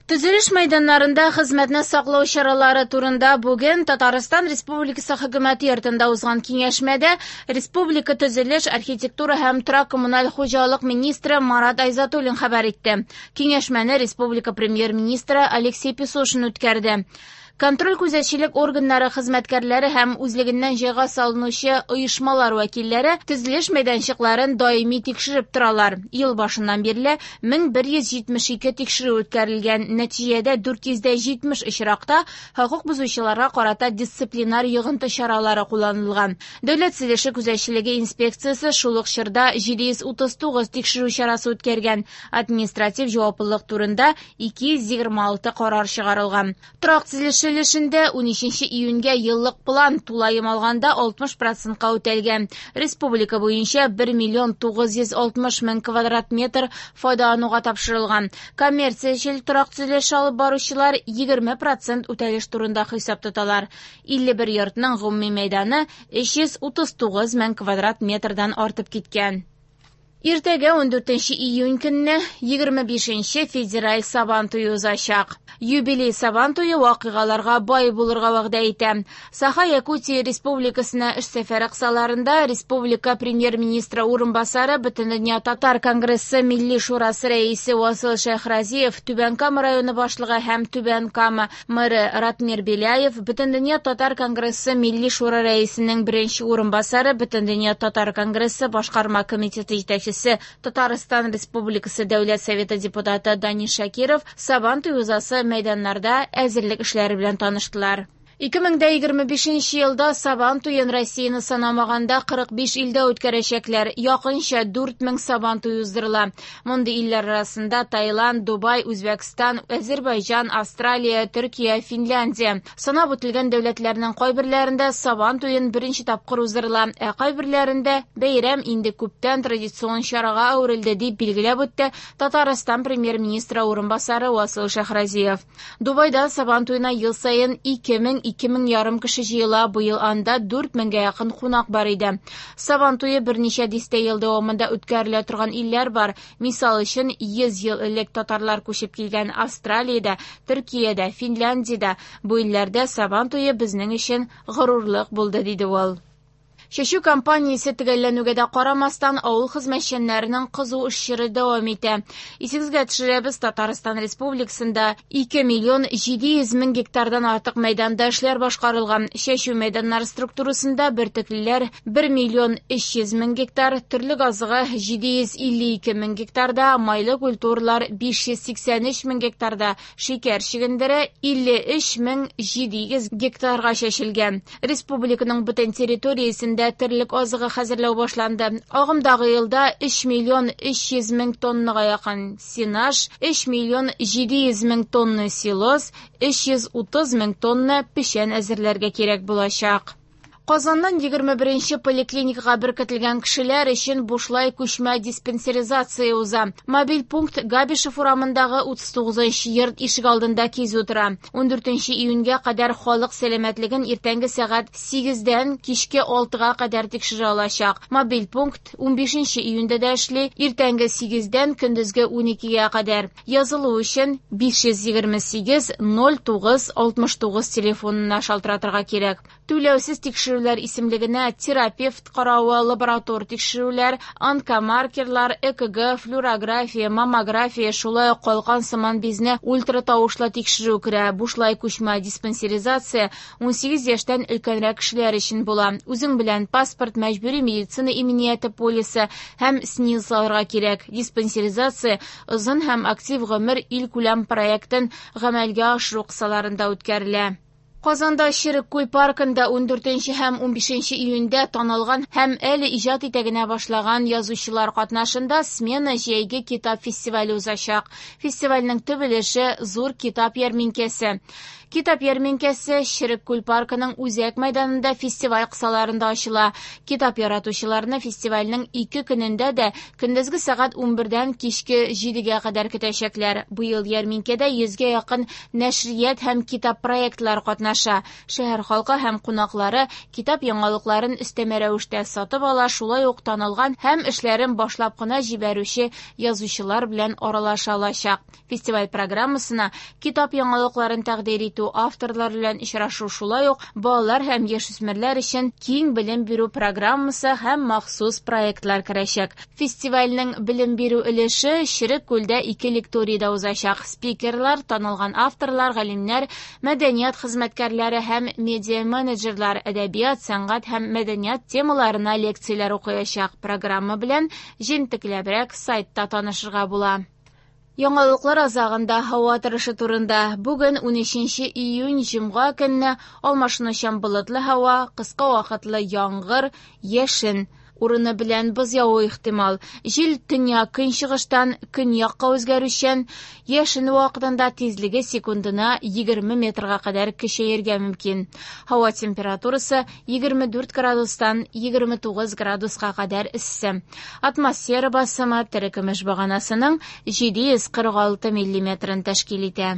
Төзелеш мәйданнарында хезмәтне саклау чаралары турында бүген Татарстан Республикасы Хөкүмәте йортында узган киңәшмәдә республика төзелеш, архитектура һәм торак-коммуналь хуҗалык министры Марат Айзатуллин хәбәр итте. Киңәшмәне республика премьер-министры Алексей Песошин үткәрде. Контроль-күзәтчелек органнары хезмәткәрләре һәм үзлегеннән җайга салынучы оешмалар вәкилләре төзелеш мәйданчыкларын даими тикшереп торалар. Ел башыннан бирле 1172 тикшерү үткәрелгән. Нәтиҗәдә 470 очракта хокук бозучыларга карата дисциплинар йогынты чаралары кулланылган. Дәүләт төзелеше күзәтчелеге инспекциясе шул ук чорда 739 тикшерү чарасы үткәргән. Административ җаваплылык турында 226 карар чыгарылган. Торак төзелеше өлешендә 13 июньгә еллык план тулаем алганда 60 процентка үтәлгән. Республика буенча 1 миллион 960 мең квадрат метр файдалануга тапшырылган. Коммерциячел торак төзелеше алып баручылар 20 процент үтәлеш турында хисап тоталар. 51 йортның гомуми мәйданы 339 мең квадрат метрдан артып киткән. Иртәгә 14 июнь көнне 25 федераль Сабан туе узачак. Юбилей Сабан туе вакыйгаларга бай булырга вәгъдә итә. Саха-Якутия Республикасына эш сәфәре кысаларында республика премьер-министры урынбасары, Бөтендөнья татар конгрессы Милли шурасы рәисе Васил Шәйхразиев, Түбән Кама районы башлыгы һәм Түбән Кама мэры Ратмир Беляев, Бөтендөнья татар конгрессы Милли шура рәисенең беренче урынбасары, Бөтендөнья татар конгрессы башкарма комитеты җитәкчесе, Татарстан Республикасы Дәүләт Советы депутаты Данис Шакиров Сабан туе узасы мәйданнарда әзерлек эшләре белән таныштылар. 2025 елда Сабан туен Россияне санамаганда 45 илдә үткәрәчәкләр. Якынча 4000 Сабан туе уздырыла. Мондый илләр арасында Таиланд, Дубай, Үзбәкстан, Әзербайҗан, Австралия, Төркия, Финляндия. Санап үтелгән дәүләтләрнең кайберләрендә Сабан туен беренче тапкыр уздырыла, ә кайберләрендә бәйрәм инде күптән традицион чарага әверелде, дип билгеләп үтте Татарстан премьер-министры урынбасары Васил Шәйхразиев. Дубайда Сабан туена ел саен 2000-2500 кеше җыела, быел анда 4000гә якын кунак бар иде. Сабан туе берничә дистә ел дәвамында үткәрелә торган илләр бар. Мисал өчен, 100 ел элек татарлар күчеп килгән Австралиядә, Төркиядә, Финляндиядә. Бу илләрдә Сабан туе безнең өчен горурлык булды, диде ул. Чәчү кампаниясе төгәлләнүгә дә карамастан, авыл хезмәтчәннәренең кызу эш чоры дәвам итә. Исегезгә төшерәбез, Татарстан Республикасында 2 миллион 700 мең гектардан артык мәйданда эшләр башкарылган. Чәчү мәйданнары структурасында бөртеклеләр 1 миллион 300 мең гектар, төрлек азыгы 752 мең гектарда, майлы культуралар 583 мең гектарда, шикәр чөгендере 53 мең 700 гектарга чәчелгән. Республиканың бөтен территориясендә терлек азыгы хәзерләү башланды. Агымдагы елда 3 миллион 300 мең тоннага якын сенаж, 3 миллион 700 мең тонна силос, 330 мең тонна печән әзерләргә кирәк булачак. Казаннан 21 поликлиникага беркетелгән кешеләр өчен бушлай күчмә диспансеризация уза. Мобиль пункт Габишев урамындагы 39 йорт ишегалдында кизү тора. 14 июньгә кадәр халык сәламәтлеген иртәнге сәгать 8-дән кичке 6-га кадәр тикшерә алачак. Мобиль пункт 15 июньдә дә эшли, иртәнге 8-дән көндезге 12-гә кадәр. Язылу өчен 528 09 69 телефонына шалтыратырга кирәк. Түләүсез тикшерүләр исемлегенә терапевт каравы, лаборатор тикшерүләр, онкомаркерлар, ЭКГ, флюорография, маммография, шулай ук калкан сыман бизне ультратавышлы тикшерү керә. Бушлай күчмә диспансеризация 18 яшьтән өлкәнрәк кешеләр өчен була. Үзең белән паспорт, мәҗбүри медицина иминияте полисы һәм СНИЛС алырга кирәк. Диспансеризация озын һәм актив гомер илкүләм проектын гамәлгә ашыру кысаларында үткәрелә. Казанда Черек күл паркында 14 һәм 15 июньдә танылган һәм әле иҗат итә генә башлаган язучылар катнашында Смена җәйге китап фестивале узачак. Фестивальнең төп өлеше зур китап ярминкәсе. Китап ярминкәсе Черек күл паркының үзәк мәйданында фестиваль кысаларында ачыла. Китап яратучыларны фестивальнең 2 көнендә дә көндезге сәгать 11-дән кичке 7-гә кадәр көтәчәкләр. Быел ярминкәдә 100гә якын нәшрият һәм китап проектлары катнаша. Шәһәр халкы һәм кунаклары китап яңалыкларын өстәмә рәвештә сатып ала, шулай ук танылган һәм эшләрен башлап кына җибәрүче язучылар белән аралаша алачак. Фестиваль программасына китап яңалыкларын тәкъдир итү, авторлар белән очрашу, шулай ук балалар һәм яшүсмерләр өчен киң белем бирү программасы һәм махсус проектлар керәчәк. Фестивальнең белем бирү өлеше Черек күлдә 2 лекторийда узачак. Спикерлар, танылган авторлар, галимнәр, мәдәният хезмәткәрләре һәм медиа-менеджерлар әдәбият, сәнгать һәм мәдәният темаларына лекцияләр укыячак. Программа белән җентекләбрәк сайтта танышырга була. Яңалыклар азагында һава торышы турында. Бүген 13 июнь җомга көнне алмашынучан болытлы һава, кыска вакытлы яңгыр, яшен. Урыны белән боз явуы ихтимал. Җил төньяк көнчыгыштан көньякка үзгәрүчән, яшен вакытында тизлеге секундына 20 метрга кадәр көчәергә мөмкин. Һава температурасы 24 градустан 29 градуска кадәр эссе. Атмосфера басымы терекөмеш баганасының 746 миллиметрын тәшкил итә.